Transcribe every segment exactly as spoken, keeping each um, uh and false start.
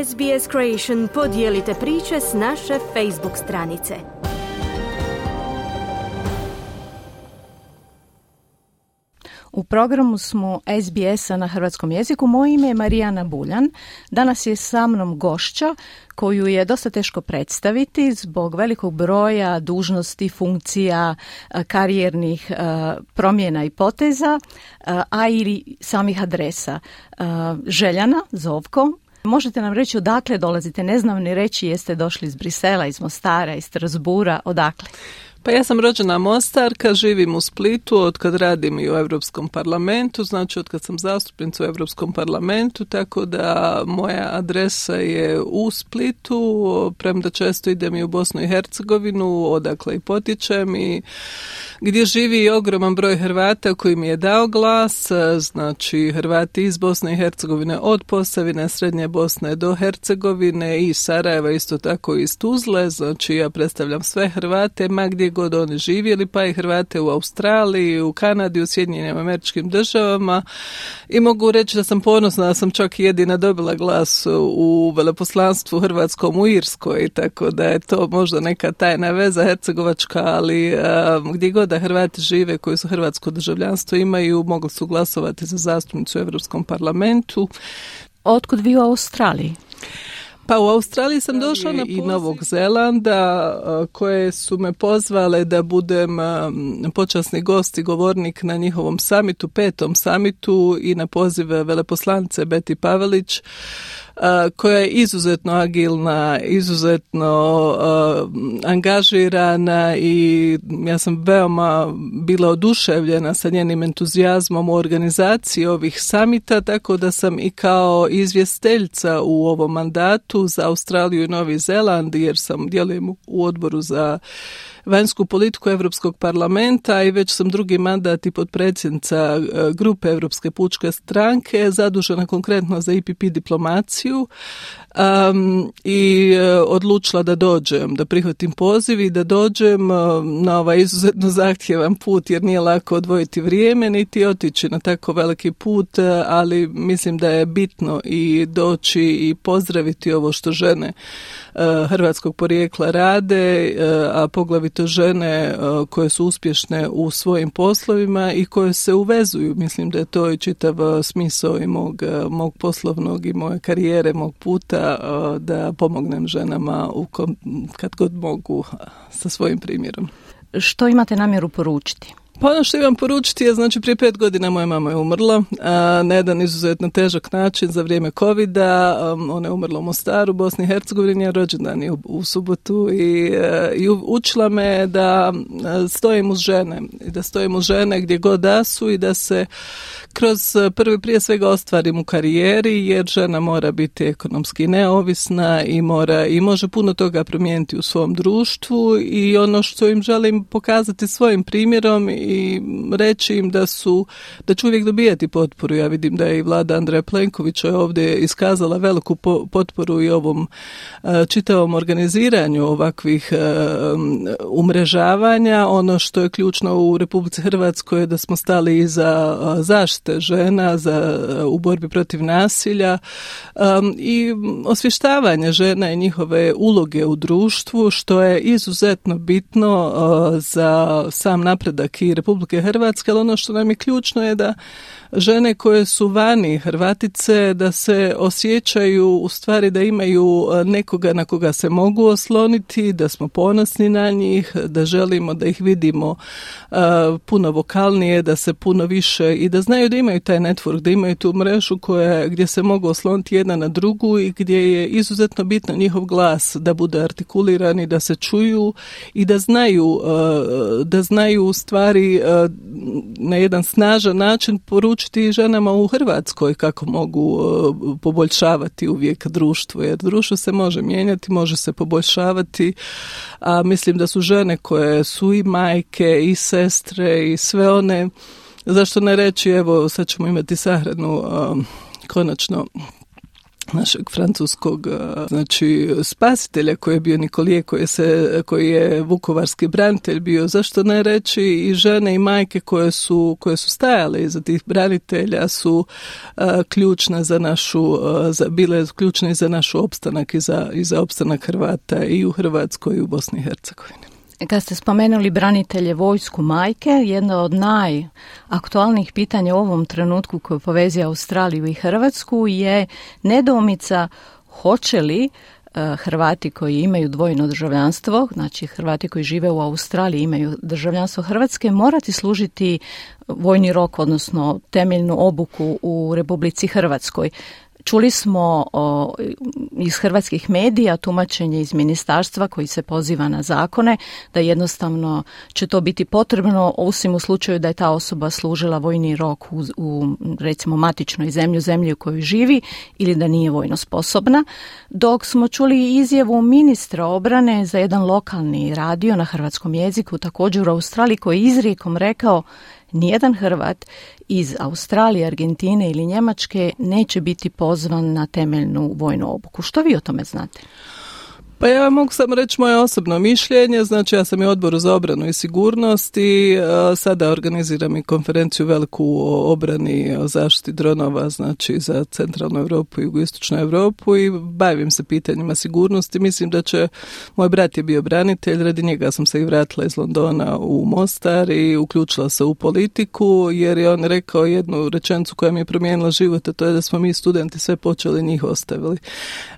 S B S Creation podijelite priče s naše Facebook stranice. U programu smo S B S-a na hrvatskom jeziku. Moje ime je Marijana Buljan. Danas je sa mnom gošća koju je dosta teško predstaviti zbog velikog broja dužnosti, funkcija, karijernih promjena i poteza, a i samih adresa. Željana Zovko, možete nam reći odakle dolazite? Ne znam ni reći jeste došli iz Brisela, iz Mostara, iz Strasbura, odakle? Pa ja sam rođena Mostarka, živim u Splitu od kad radim i u Europskom parlamentu, znači od kad sam zastupnica u Europskom parlamentu, tako da moja adresa je u Splitu, premda često idem i u Bosnu i Hercegovinu, odakle i potičem i gdje živi ogroman broj Hrvata koji mi je dao glas, znači Hrvati iz Bosne i Hercegovine, od Posavine, Srednje Bosne do Hercegovine i Sarajeva, isto tako iz Tuzle, znači ja predstavljam sve Hrvate, ma gdje god oni živjeli, pa i Hrvate u Australiji, u Kanadi, u Sjedinjenim Američkim Državama i mogu reći da sam ponosna da sam čak jedina dobila glas u veleposlanstvu hrvatskom u Irskoj, tako da je to možda neka tajna veza hercegovačka, ali um, gdje god da Hrvati žive koji su hrvatsko državljanstvo imaju, mogli su glasovati za zastupnicu u Europskom parlamentu. Otkud vi u Australiji? Pa u Australiji sam došla na i Novog Zelanda koje su me pozvale da budem počasni gost i govornik na njihovom samitu, petom samitu i na poziv veleposlanice Beti Pavelić, koja je izuzetno agilna, izuzetno uh, angažirana i ja sam veoma bila oduševljena sa njenim entuzijazmom u organizaciji ovih samita, tako da sam i kao izvjestiteljica u ovom mandatu za Australiju i Novi Zeland, jer sam djelujem u odboru za vanjsku politiku Europskog parlamenta i već sam drugi mandat i potpredsjednica grupe Europske pučke stranke, zadužena konkretno za I P P diplomaciju um, i odlučila da dođem, da prihvatim poziv i da dođem na ovaj izuzetno zahtjevan put, jer nije lako odvojiti vrijeme niti otići na tako veliki put, ali mislim da je bitno i doći i pozdraviti ovo što žene hrvatskog porijekla rade, a poglavito žene koje su uspješne u svojim poslovima i koje se uvezuju. Mislim da je to i čitav smisao i mog, mog poslovnog i moje karijere, mog puta, da pomognem ženama u kom, kad god mogu sa svojim primjerom. Što imate namjeru poručiti? Pa ono što imam poručiti je, znači prije pet godina moja mama je umrla a, na jedan izuzetno težak način za vrijeme covida. Um, ona je umrla u Mostaru, Bosni i Hercegovini, a rođendan je u, u subotu i, a, i učila me da stojim uz žene i da stojim uz žene gdje god da su i da se kroz prvi prije svega ostvarim u karijeri, jer žena mora biti ekonomski neovisna i mora i može puno toga promijeniti u svom društvu i ono što im želim pokazati svojim primjerom i reći im da su, da će uvijek dobijati potporu. Ja vidim da je i vlada Andreja Plenkovića ovdje iskazala veliku po, potporu i ovom uh, čitavom organiziranju ovakvih uh, umrežavanja. Ono što je ključno u Republici Hrvatskoj je da smo stali iza uh, zaštite žena za, u borbi protiv nasilja um, i osvještavanje žena i njihove uloge u društvu, što je izuzetno bitno uh, za sam napredak i Republike Hrvatske, ali ono što nam je ključno je da žene koje su vani, Hrvatice, da se osjećaju u stvari da imaju nekoga na koga se mogu osloniti, da smo ponosni na njih, da želimo da ih vidimo uh, puno vokalnije, da se puno više i da znaju da imaju taj network, da imaju tu mrežu koja, gdje se mogu osloniti jedna na drugu i gdje je izuzetno bitno njihov glas da bude artikuliran i da se čuju i da znaju, uh, da znaju u stvari uh, na jedan snažan način poručiti ženama u Hrvatskoj kako mogu uh, poboljšavati uvijek društvo, jer društvo se može mijenjati, može se poboljšavati, a mislim da su žene koje su i majke i sestre i sve one, zašto ne reći, evo sad ćemo imati sahranu uh, konačno našeg francuskog znači spasitelja koji je bio Nikolije, koji je, se, koji je vukovarski branitelj bio, zašto ne reći i žene i majke koje su, koje su stajale iza tih branitelja su a, ključne za našu, a, za, bile ključne za naš opstanak i za, i za opstanak Hrvata i u Hrvatskoj i u Bosni i Hercegovini. Kad ste spomenuli branitelje, vojsku, majke, jedno od najaktualnijih pitanja u ovom trenutku koje povezuje Australiju i Hrvatsku je nedoumica hoće li uh, Hrvati koji imaju dvojno državljanstvo, znači Hrvati koji žive u Australiji imaju državljanstvo Hrvatske, morati služiti vojni rok, odnosno temeljnu obuku u Republici Hrvatskoj. Čuli smo o, iz hrvatskih medija tumačenje iz ministarstva koji se poziva na zakone da jednostavno će to biti potrebno osim u slučaju da je ta osoba služila vojni rok u, u recimo matičnoj zemlji, u zemlji u kojoj živi ili da nije vojno sposobna. Dok smo čuli izjavu ministra obrane za jedan lokalni radio na hrvatskom jeziku također u Australiji koji je izrijekom rekao nijedan Hrvat iz Australije, Argentine ili Njemačke neće biti pozvan na temeljnu vojnu obuku. Što vi o tome znate? Pa ja mogu samo reći moje osobno mišljenje, znači ja sam i odboru za obranu i sigurnost i a, sada organiziram i konferenciju veliku o obrani, o zaštiti dronova, znači za centralnu Europu i jugoistočnu Europu i bavim se pitanjima sigurnosti. Mislim da će, moj brat je bio branitelj, radi njega sam se i vratila iz Londona u Mostar i uključila se u politiku jer je on rekao jednu rečenicu koja mi je promijenila život, a to je da smo mi studenti sve počeli, njih ostavili.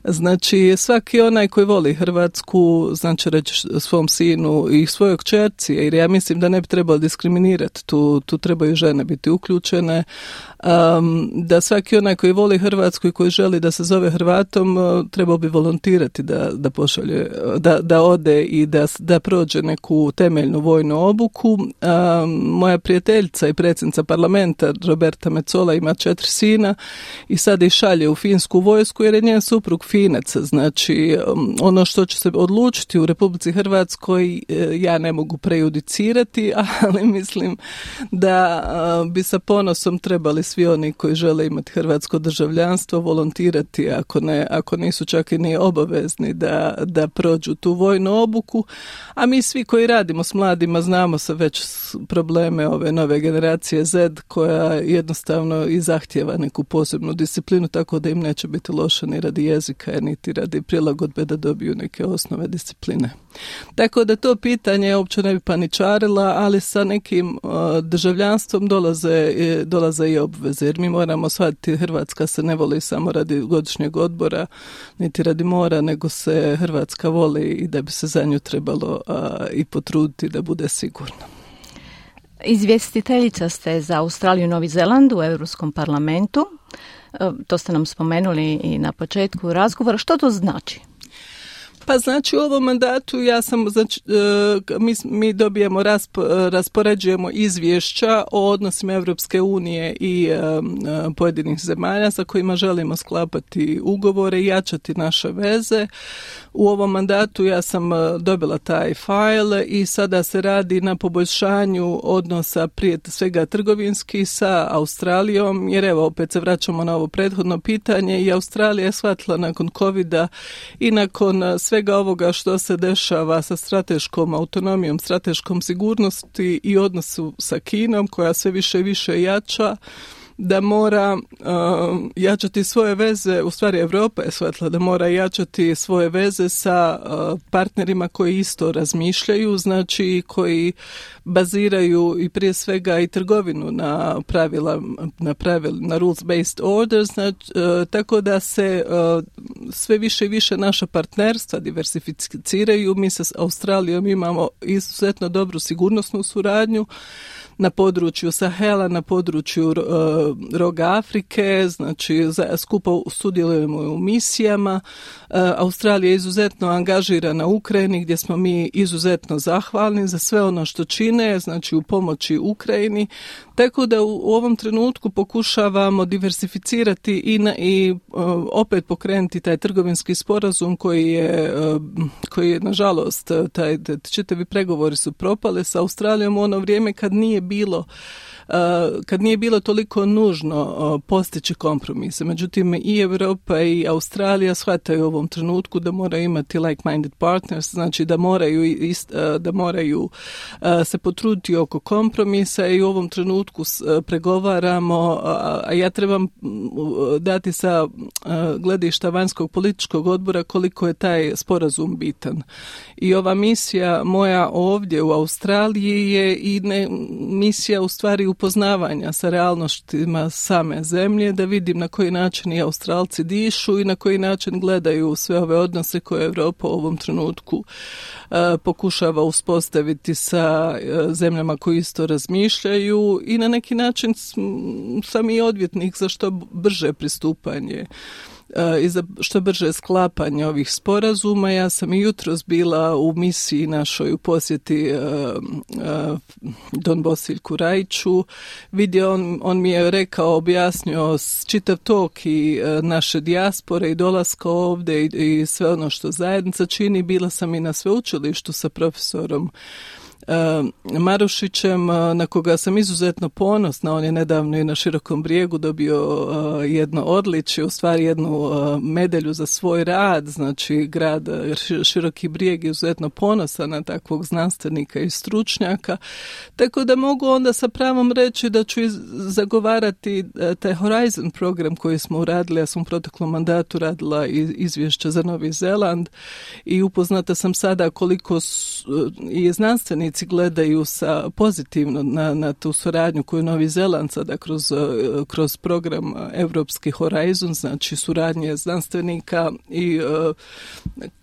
Znači svaki onaj koji voli Hrvatsku, znači reći svom sinu i svojoj kćerci, jer ja mislim da ne bi trebalo diskriminirati, tu, tu trebaju žene biti uključene, um, da svaki onaj koji voli Hrvatsku i koji želi da se zove Hrvatom, uh, trebao bi volontirati da, da pošalje, da, da ode i da, da prođe neku temeljnu vojnu obuku. Um, moja prijateljica i predsjednica parlamenta Roberta Metsola ima četiri sina i sad ih šalje u finsku vojsku jer je njen suprug Finac, znači um, ono što će se odlučiti u Republici Hrvatskoj ja ne mogu prejudicirati, ali mislim da bi sa ponosom trebali svi oni koji žele imati hrvatsko državljanstvo volontirati ako ne, ako nisu čak i ni obavezni da, da prođu tu vojnu obuku, a mi svi koji radimo s mladima znamo se već probleme ove nove generacije Z koja jednostavno i zahtjeva neku posebnu disciplinu, tako da im neće biti loše ni radi jezika, niti radi prilagodbe da dobiju neke osnove discipline. Tako da to pitanje uopće ne bi paničarila, ali sa nekim uh, državljanstvom dolaze, dolaze i obveze, jer mi moramo shvatiti Hrvatska se ne voli samo radi godišnjeg odbora, niti radi mora, nego se Hrvatska voli i da bi se za nju trebalo uh, i potruditi da bude sigurna. Izvjestiteljica ste za Australiju i Novi Zeland u Europskom parlamentu. To ste nam spomenuli i na početku razgovora. Što to znači? Pa znači u ovom mandatu ja sam, znači, mi, mi dobijemo, rasp, raspoređujemo izvješća o odnosima Europske unije i um, pojedinih zemalja sa kojima želimo sklapati ugovore i jačati naše veze. U ovom mandatu ja sam dobila taj fajl i sada se radi na poboljšanju odnosa prije svega trgovinski sa Australijom, jer evo opet se vraćamo na ovo prethodno pitanje i Australija je shvatila nakon covida i nakon svega ovoga što se dešava sa strateškom autonomijom, strateškom sigurnosti i odnosu sa Kinom koja sve više i više jača, da mora uh, jačati svoje veze, u stvari Europa je shvatila da mora jačati svoje veze sa uh, partnerima koji isto razmišljaju, znači koji baziraju i prije svega i trgovinu na pravila, na pravila, na rules-based orders, znači, uh, tako da se uh, sve više i više naša partnerstva diversificiraju. Mi sa Australijom imamo izuzetno dobru sigurnosnu suradnju na području Sahela, na području uh, roga Afrike, znači za, skupo sudjelujemo u misijama. Uh, Australija je izuzetno angažirana u Ukrajini gdje smo mi izuzetno zahvalni za sve ono što čine, znači u pomoći Ukrajini. Tako da u, u ovom trenutku pokušavamo diversificirati i, na, i uh, opet pokrenuti taj trgovinski sporazum koji je, uh, koji je nažalost, taj, čitavi pregovori su propale sa Australijom u ono vrijeme kad nije bilo kad nije bilo toliko nužno postići kompromise. Međutim, i Europa i Australija shvataju u ovom trenutku da moraju imati like-minded partners, znači da moraju, ist, da moraju se potruditi oko kompromisa i u ovom trenutku pregovaramo, a ja trebam dati sa gledišta vanjskog političkog odbora koliko je taj sporazum bitan. I ova misija moja ovdje u Australiji je i ne, misija u stvari upoznavanja sa realnostima same zemlje, da vidim na koji način i Australci dišu i na koji način gledaju sve ove odnose koje Europa u ovom trenutku uh, pokušava uspostaviti sa uh, zemljama koji isto razmišljaju i na neki način sam i odvjetnik za što brže pristupanje i za što brže sklapanje ovih sporazuma. Ja sam i jutros bila u misiji našoj u posjeti uh, uh, Don Bosiljku Rajiću. Vidio, on, on mi je rekao, objasnio čitav tok i uh, naše dijaspore i dolaska ovdje i, i sve ono što zajednica čini. Bila sam i na sveučilištu sa profesorom Uh, Marušićem, uh, na koga sam izuzetno ponosna. On je nedavno i na Širokom Brijegu dobio uh, jedno odličje, u stvari jednu uh, medalju za svoj rad. Znači, grad Široki Brijeg je izuzetno ponosan na takvog znanstvenika i stručnjaka. Tako da mogu onda sa pravom reći da ću zagovarati uh, taj Horizon program koji smo uradili. Ja sam u proteklom mandatu radila izvješće za Novi Zeland i upoznata sam sada koliko su, uh, je znanstvenici gledaju sa pozitivno na, na tu suradnju koju Novi Zeland sada kroz, kroz program Evropski Horizon, znači suradnje znanstvenika i uh,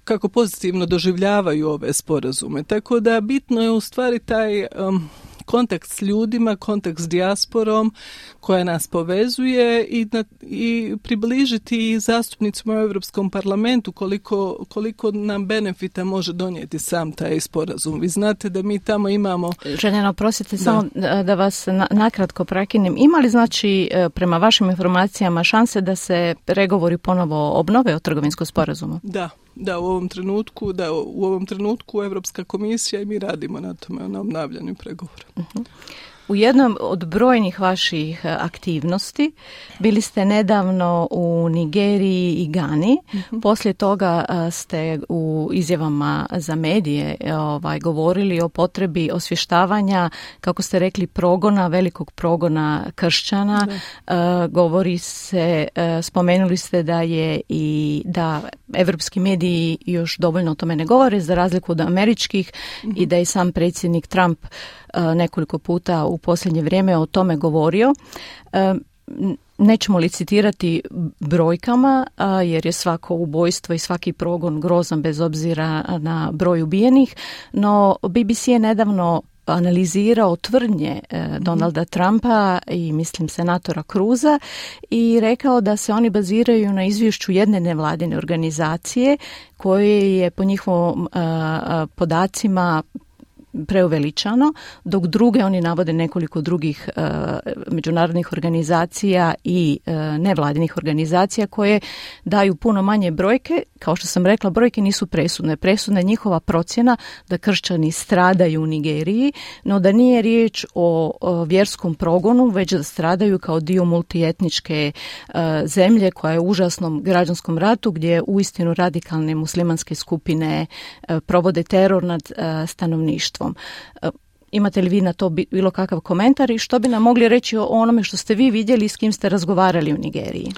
kako pozitivno doživljavaju ove sporazume. Tako da bitno je u stvari taj um, kontakt s ljudima, kontakt s dijasporom koja nas povezuje i, na, i približiti zastupnicima u Europskom parlamentu koliko, koliko nam benefita može donijeti sam taj sporazum. Vi znate da mi tamo imamo... Željena, prosite samo da vas na, nakratko prekinem. Ima li znači prema vašim informacijama šanse da se pregovori ponovo obnove o trgovinskom sporazumu? Da. Da, u ovom trenutku, da, u ovom trenutku Europska komisija i mi radimo na tome, na obnavljanju pregovora. Uh-huh. U jednom od brojnih vaših aktivnosti bili ste nedavno u Nigeriji i Gani. Uh-huh. Poslije toga ste u izjavama za medije ovaj, govorili o potrebi osvještavanja, kako ste rekli, progona, velikog progona kršćana. Uh, govori se, uh, spomenuli ste da je i da evropski mediji još dovoljno o tome ne govore, za razliku od američkih, uh-huh. i da je sam predsjednik Trump uh, nekoliko puta u posljednje vrijeme o tome govorio. Nećemo licitirati brojkama, jer je svako ubojstvo i svaki progon grozan bez obzira na broj ubijenih, no B B C je nedavno analizirao tvrdnje Donalda Trumpa i mislim senatora Cruza i rekao da se oni baziraju na izvješću jedne nevladine organizacije koje je po njihovom podacima preuveličano, dok druge oni navode nekoliko drugih uh, međunarodnih organizacija i uh, nevladinih organizacija koje daju puno manje brojke. Kao što sam rekla, brojke nisu presudne. Presudna je njihova procjena da kršćani stradaju u Nigeriji, no da nije riječ o, o vjerskom progonu, već da stradaju kao dio multietničke uh, zemlje koja je u užasnom građanskom ratu gdje uistinu radikalne muslimanske skupine uh, provode teror nad uh, stanovništvom. Imate li vi na to bilo kakav komentar i što bi nam mogli reći o onome što ste vi vidjeli i s kim ste razgovarali u Nigeriji?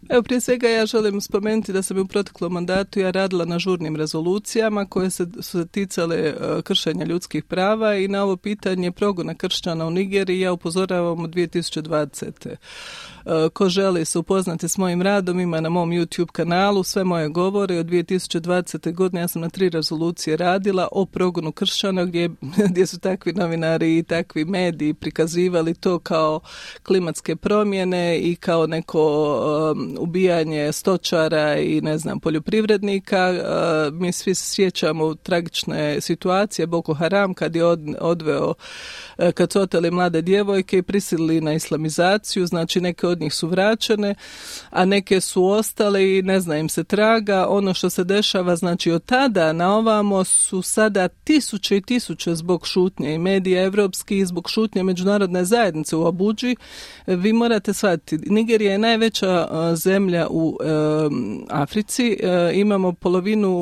Evo, prije svega ja želim spomenuti da sam u proteklom mandatu ja radila na žurnim rezolucijama koje se, su se ticale uh, kršenja ljudskih prava i na ovo pitanje progona kršćana u Nigeriji ja upozoravam u dvije tisuće dvadesete. Uh, ko želi se upoznati s mojim radom ima na mom YouTube kanalu sve moje govore. Od dvije tisuće dvadesete godine ja sam na tri rezolucije radila o progonu kršćana gdje, gdje su takvi novinari i takvi mediji prikazivali to kao klimatske promjene i kao neko um, ubijanje stočara i ne znam poljoprivrednika. Uh, mi svi se sjećamo tragične situacije Boko Haram kad je od, odveo, uh, kad su oteli mlade djevojke i prisilili na islamizaciju, znači neke od njih su vraćene, a neke su ostale i ne zna im se traga. Ono što se dešava, znači od tada na ovamo su sada tisuće i tisuće zbog šutnje i medija medija evropski i zbog šutnje međunarodne zajednice u Abudži. Vi morate shvatiti, Nigerija je najveća zemlja u e, Africi. E, imamo polovinu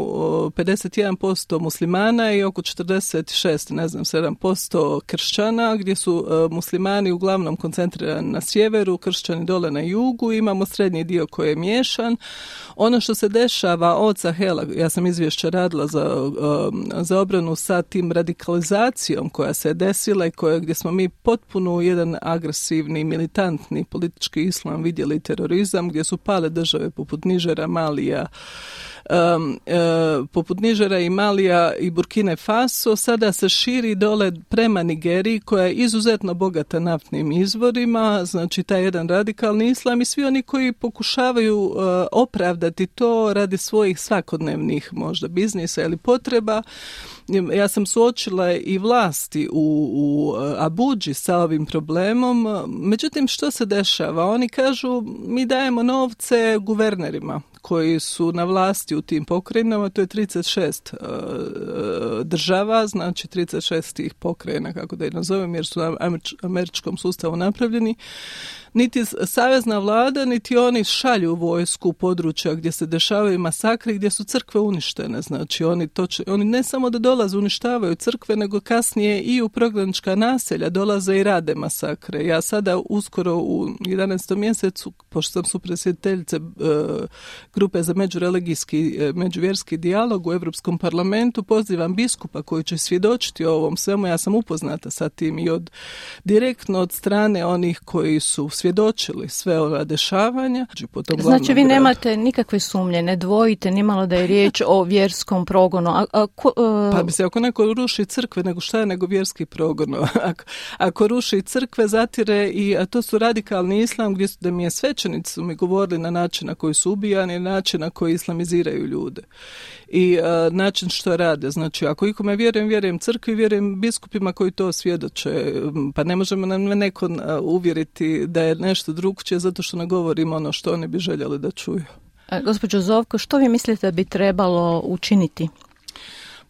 pedeset jedan posto muslimana i oko četrdeset šest, ne znam, sedam posto kršćana, gdje su e, muslimani uglavnom koncentrirani na sjeveru, kršćani dole na jugu. Imamo srednji dio koji je miješan. Ono što se dešava od Sahela, ja sam izvješće radila za, za obranu sa tim radikalizacijom koja se desila i koja, gdje smo mi potpuno jedan agresivni, militantni politički islam vidjeli, terorizam, gdje su pale države poput Nižera, Malija, Um, uh, poput Nižera i Malija i Burkine Faso, sada se širi dole prema Nigeriji koja je izuzetno bogata naftnim izvorima, znači taj jedan radikalni islam i svi oni koji pokušavaju uh, opravdati to radi svojih svakodnevnih možda biznisa ili potreba. Ja sam suočila i vlasti u, u Abudži sa ovim problemom. Međutim, što se dešava? Oni kažu, mi dajemo novce guvernerima koji su na vlasti u tim pokrajinama, to je trideset šest uh, država, znači trideset šest tih pokrajina, kako da ih nazovem, jer su na američkom sustavu napravljeni. Niti savezna vlada, niti oni šalju vojsku u područja gdje se dešavaju masakri, gdje su crkve uništene. Znači, oni, to će, oni ne samo da dolaze uništavaju crkve, nego kasnije i u prognanička naselja dolaze i rade masakre. Ja sada uskoro u jedanaestom mjesecu, pošto sam supredsjedateljice e, grupe za međureligijski, e, međuvjerski dijalog u Europskom parlamentu, pozivam biskupa koji će svjedočiti o ovom svemu. Ja sam upoznata sa tim i od direktno od strane onih koji su svjedočili sve ova dešavanja. Znači vi nemate nikakve sumnje, ne dvojite nimalo da je riječ o vjerskom progonu. A, a, ko, a... Pa bi se, ako neko ruši crkve, nego šta je nego vjerski progon? Ako, ako ruši crkve, zatire i, a to su radikalni islam, gdje su, da mi je svećenici su mi govorili na način na koji su ubijani, na način na koji islamiziraju ljude. I a, način što rade. Znači, ako ikome vjerujem, vjerujem crkvi, vjerujem biskupima koji to svjedoče. Pa ne možemo nam neko uvjeriti da je nešto drugčije zato što ne govorimo ono što oni bi željeli da čuju. E, gospođo Zovko, što vi mislite da bi trebalo učiniti?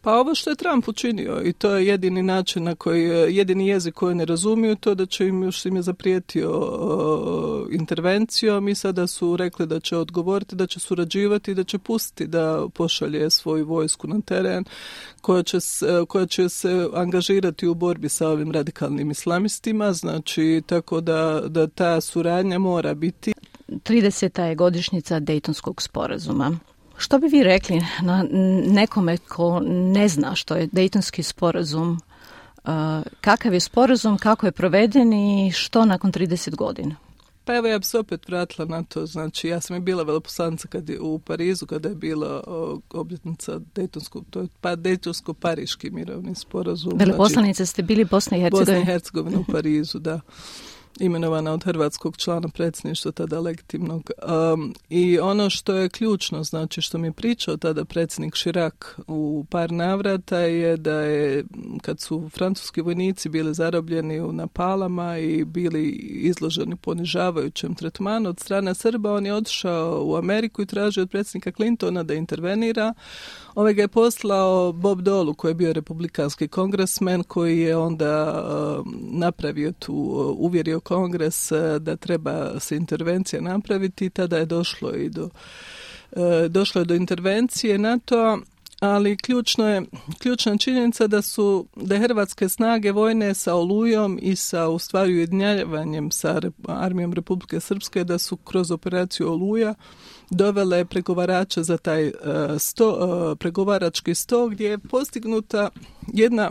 Pa ovo što je Trump učinio i to je jedini način na koji, jedini jezik koji ne razumiju, to da će im još im je zaprijetio o, intervencijom i sada su rekli da će odgovoriti, da će surađivati, da će pustiti da pošalje svoju vojsku na teren koja će, koja će se angažirati u borbi sa ovim radikalnim islamistima, znači tako da, da ta suradnja mora biti. trideseta je godišnjica Dejtonskog sporazuma. Što bi vi rekli na nekome ko ne zna što je Dejtonski sporazum, uh, kakav je sporazum, kako je proveden i što nakon trideset godina? Pa evo ja bi se opet vratila na to, znači ja sam i bila veleposlanica kad je u Parizu kada je bila o, obljetnica Dejtonskog, to je pa Dejtonsko-Pariški mirovni sporazum. Veleposlanica znači, ste bili Bosna i Hercegovina? Bosna i Hercegovina u Parizu, da. Imenovana od hrvatskog člana predsjedništva tada legitimnog. Um, I ono što je ključno, znači što mi je pričao tada predsjednik Chirac u par navrata je da je kad su francuski vojnici bili zarobljeni na Palama i bili izloženi ponižavajućem tretmanu od strane Srba, on je otišao u Ameriku i tražio od predsjednika Clintona da intervenira. Ovaj ga je poslao Bob Dole, koji je bio republikanski kongresmen, koji je onda uh, napravio tu, uh, uvjerio kongres uh, da treba se intervencija napraviti i tada je došlo i do, uh, došlo je do intervencije na to, ali ključno je, ključna činjenica da su da je hrvatske snage vojne sa Olujom i sa u stvari ujedinjavanjem sa armijom Republike Srpske da su kroz operaciju Oluja dovele pregovarača za taj uh, sto, uh, pregovarački sto gdje je postignuta jedna,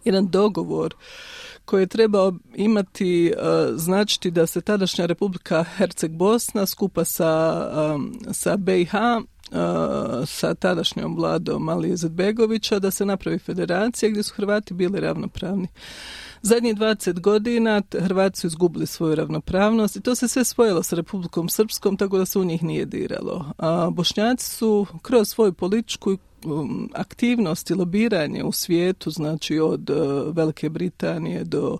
jedan dogovor koji je trebao imati, uh, značiti da se tadašnja Republika Herceg-Bosna skupa sa, um, sa B i H Uh, sa tadašnjom vladom Alije Izetbegovića da se napravi federacija gdje su Hrvati bili ravnopravni. Zadnjih dvadeset godina Hrvati su izgubili svoju ravnopravnost i to se sve spojilo sa Republikom Srpskom tako da se u njih nije diralo. A Bošnjaci su kroz svoju političku um, aktivnost i lobiranje u svijetu, znači od uh, Velike Britanije do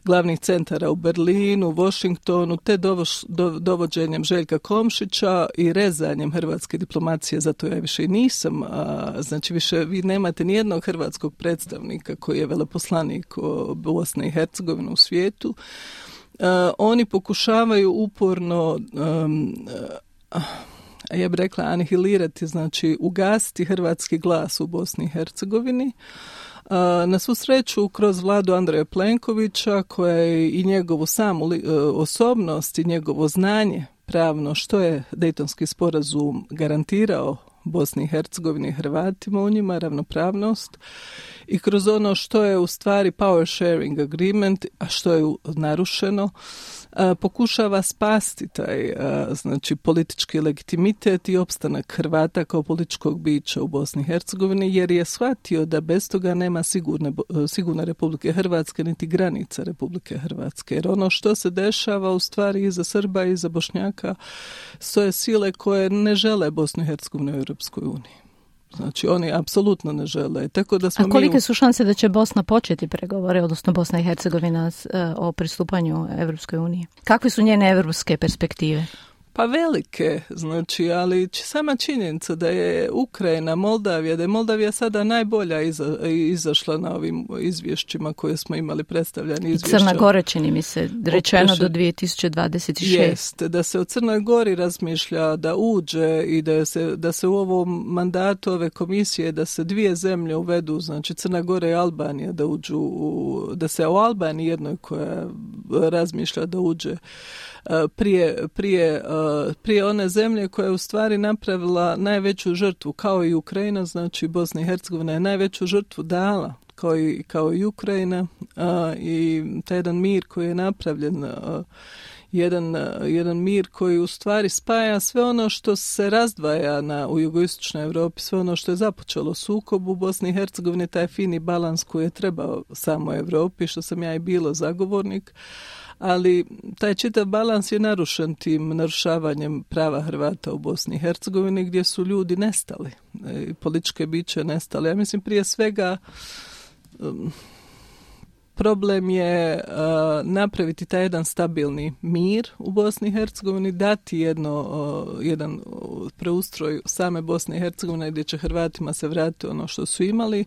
glavnih centara u Berlinu, Washingtonu, te dovoš, do, dovođenjem Željka Komšića i rezanjem hrvatske diplomacije, zato ja više i nisam, a, znači više vi nemate nijednog hrvatskog predstavnika koji je veleposlanik Bosne i Hercegovine u svijetu. A, oni pokušavaju uporno um, a, ja bih rekla anihilirati, znači ugasiti hrvatski glas u Bosni i Hercegovini. Na svu sreću, kroz vladu Andreja Plenkovića, koja je i njegovu samu osobnost i njegovo znanje pravno što je Dejtonski sporazum garantirao Bosni i Hercegovini i Hrvatima u njima, ravnopravnost, i kroz ono što je u stvari power sharing agreement, a što je narušeno, a, pokušava spasti taj a, znači politički legitimitet i opstanak Hrvata kao političkog bića u Bosni i Hercegovini, jer je shvatio da bez toga nema sigurne, sigurne Republike Hrvatske niti granica Republike Hrvatske. Jer ono što se dešava u stvari iza Srba i iza Bošnjaka stoje sile koje ne žele Bosnu i Hercegovinu u Europskoj uniji. Znači, oni apsolutno ne žele. Tako da smo A kolike mi u... su šanse da će Bosna početi pregovore, odnosno Bosna i Hercegovina o pristupanju Evropskoj uniji? Kakve su njene evropske perspektive? Pa velike, znači, ali sama činjenica da je Ukrajina, Moldavija, da je Moldavija sada najbolja iza, izašla na ovim izvješćima koje smo imali predstavljani izvješća. I Crna Gora, čini mi se, rečeno do dvije tisuće dvadeset šeste. Jeste, da se o Crnoj Gori razmišlja da uđe i da se, da se u ovom mandatu ove komisije da se dvije zemlje uvedu, znači Crna Gora i Albanija da uđu, u, da se o Albaniji jednoj koja razmišlja da uđe prije, prije, prije one zemlje koja je u stvari napravila najveću žrtvu, kao i Ukrajina, znači Bosna i Hercegovina je najveću žrtvu dala, kao i, kao i Ukrajina, a, i taj jedan mir koji je napravljen, a, jedan, a, jedan mir koji u stvari spaja sve ono što se razdvaja na, u jugoistočnoj Europi, sve ono što je započelo sukob u Bosni i Hercegovini, taj fini balans koji je trebao samo Europi, što sam ja i bilo zagovornik, ali taj čitav balans je narušen tim narušavanjem prava Hrvata u Bosni i Hercegovini, gdje su ljudi nestali, političke biće nestali. Ja mislim prije svega um, problem je uh, napraviti taj jedan stabilni mir u Bosni i Hercegovini, dati jedno, uh, jedan uh, preustroj same Bosne i Hercegovine gdje će Hrvatima se vratiti ono što su imali.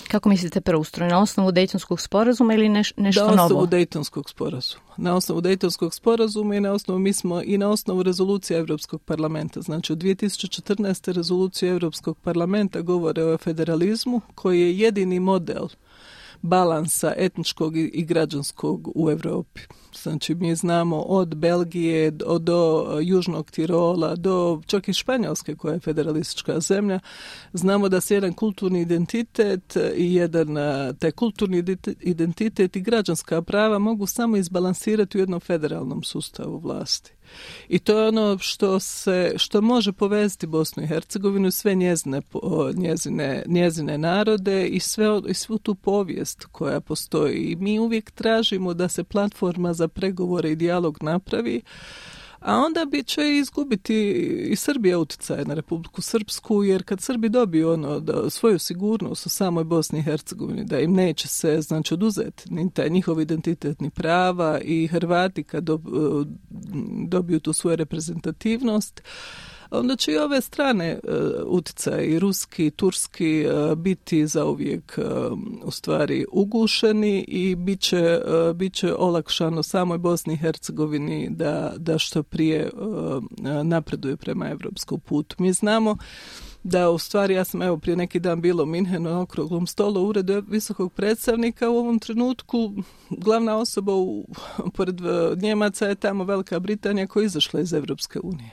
Kako mislite preustroj? Na osnovu Dejtonskog sporazuma ili neš, nešto novo? Na osnovu Dejtonskog sporazuma. Na osnovu Dejtonskog sporazuma i na osnovu, mi smo i na osnovu rezolucije Europskog parlamenta. Znači, u dvije tisuće četrnaeste rezolucije Europskog parlamenta govore o federalizmu koji je jedini model balansa etničkog i građanskog u Europi. Znači, mi znamo od Belgije do, do Južnog Tirola, do čak i Španjolske koja je federalistička zemlja, znamo da se jedan kulturni identitet i jedan taj kulturni identitet i građanska prava mogu samo izbalansirati u jednom federalnom sustavu vlasti. I to je ono što se, što može povezati Bosnu i Hercegovinu i sve njezine, njezine, njezine narode i, sve, i svu tu povijest koja postoji. I mi uvijek tražimo da se platforma za pregovore i dijalog napravi, a onda bi će izgubiti i Srbija utjecaj na Republiku Srpsku, jer kad Srbi dobiju ono da svoju sigurnost u samoj Bosni i Hercegovini, da im neće se znači oduzeti ni taj njihov identitetni prava, i Hrvati kad dobiju tu svoju reprezentativnost, onda će i ove strane uh, utjecaje, i ruski, i turski, uh, biti zauvijek uh, u stvari ugušeni i bit će, uh, bit će olakšano samoj Bosni i Hercegovini da, da što prije uh, napreduje prema evropskom putu. Mi znamo da u stvari, ja sam evo prije neki dan bila u Minhenu na okruglom stolu u uredu visokog predstavnika, u ovom trenutku glavna osoba u, pored Njemaca je tamo Velika Britanija koja je izašla iz Evropske unije.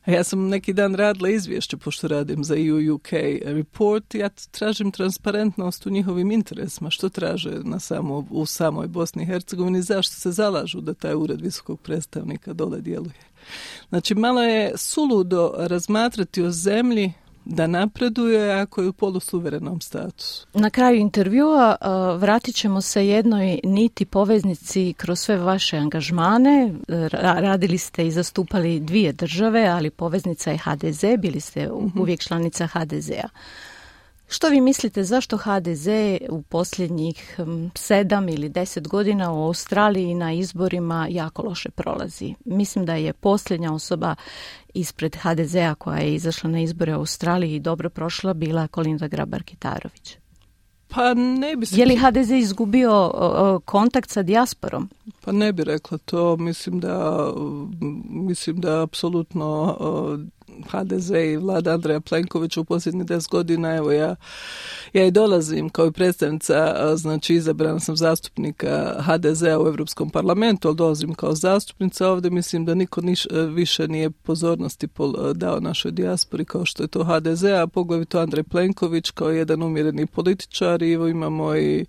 Ja sam neki dan radila izvješće, pošto radim za E U U K report, ja tražim transparentnost u njihovim interesima, što traže na samo, u samoj Bosni i Hercegovini, zašto se zalažu da taj ured visokog predstavnika dole djeluje. Znači, malo je suludo razmatrati o zemlji da napreduje ako je u polusuverenom statusu. Na kraju intervjua uh, vratit ćemo se jednoj niti poveznici kroz sve vaše angažmane. Ra- radili ste i zastupali dvije države, ali poveznica je ha de ze, bili ste mm-hmm. uvijek članica ha de zea. Što vi mislite zašto ha de ze u posljednjih um, sedam ili deset godina u Australiji na izborima jako loše prolazi? Mislim da je posljednja osoba ispred ha de zea koja je izašla na izbore u Australiji i dobro prošla bila Kolinda Grabar-Kitarović. Pa ne bi se... Je li ha de ze izgubio o, kontakt sa dijasporom? Pa ne bi rekla to. Mislim da mislim da apsolutno ha de ze i vlada Andreja Plenkovića u posljednjih deset godina, evo ja, ja i dolazim kao i predstavnica, znači izabrana sam zastupnika ha de zea u Europskom parlamentu, ali dolazim kao zastupnica ovdje. Mislim da niko niš, više nije pozornosti dao našoj dijaspori kao što je to ha de ze, a poglavito Andrej Plenković kao jedan umjereni političar. I evo imamo i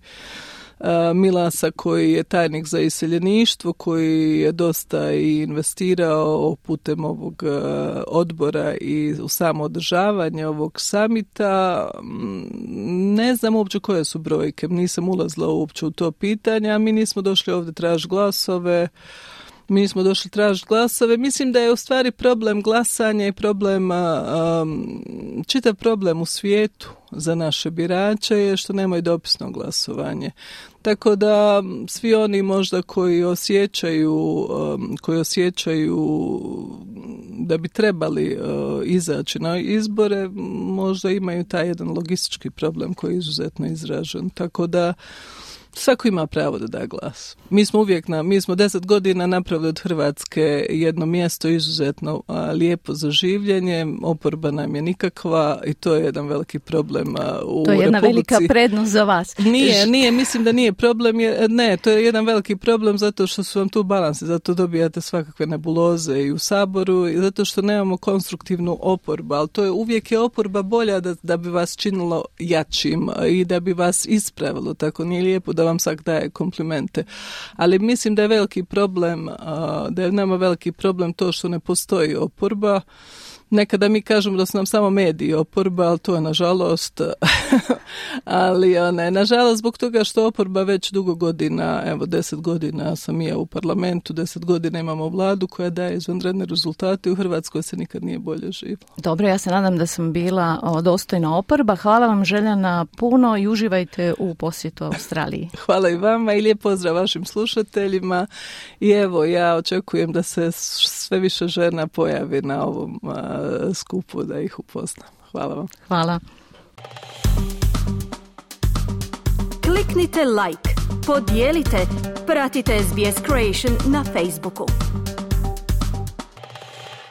Milasa koji je tajnik za iseljeništvo, koji je dosta i investirao putem ovog odbora i u samo održavanje ovog samita. Ne znam uopće koje su brojke, nisam ulazila uopće u to pitanje, a mi nismo došli ovdje tražiti glasove. Mi smo došli tražiti glasove. Mislim da je u stvari problem glasanja i problem, um, čitav problem u svijetu za naše birače je što nemaju dopisno glasovanje. Tako da svi oni možda koji osjećaju, um, koji osjećaju da bi trebali uh, izaći na izbore, možda imaju taj jedan logistički problem koji je izuzetno izražen. Tako da svako ima pravo da da glas. Mi smo uvijek, na, mi smo deset godina napravili od Hrvatske jedno mjesto izuzetno a, lijepo za življenje, oporba nam je nikakva i to je jedan veliki problem a, u Republici. To je jedna Republici. Velika prednost za vas. Nije, nije, mislim da nije problem, je, ne, to je jedan veliki problem zato što su vam tu balansi, zato dobijate svakakve nebuloze i u Saboru i zato što nemamo konstruktivnu oporbu, ali to je uvijek je oporba bolja da, da bi vas činilo jačim i da bi vas ispravilo, tako nije lijepo da vam svak daje komplimente. Ali mislim da je veliki problem, da je nama veliki problem to što ne postoji oporba. Nekada mi kažemo da su nam samo mediji oporba, ali to je nažalost, ali one, nažalost zbog toga što oporba već dugo godina, evo deset godina sam i ja u parlamentu, deset godina imamo vladu koja daje izvanredne rezultate, u Hrvatskoj se nikad nije bolje živjelo. Dobro, ja se nadam da sam bila dostojna oporba. Hvala vam Željana puno i uživajte u posjetu Australiji. Hvala i vama i lijep pozdrav vašim slušateljima i evo ja očekujem da se sve više žena pojavi na ovom skupu da ih upoznam. Hvala vam. Hvala. Kliknite like, podijelite, pratite es be es Creation na Facebooku.